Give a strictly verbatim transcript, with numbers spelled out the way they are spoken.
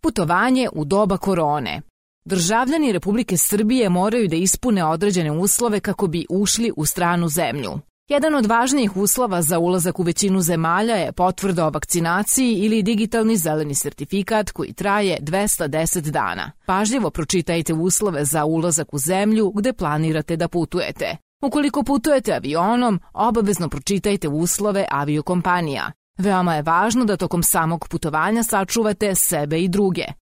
Putovanje u doba korone. Državljani Republike Srbije moraju da ispune određene uslove kako bi ušli u stranu zemlju. Jedan od važnijih uslova za ulazak u većinu zemalja je potvrda o vakcinaciji ili digitalni zeleni sertifikat koji traje dvesta deset dana. Pažljivo pročitajte uslove za ulazak u zemlju gde planirate da putujete. Ukoliko putujete avionom, obavezno pročitajte uslove aviokompanija. Veoma je važno da tokom samog putovanja sačuvate sebe i druge.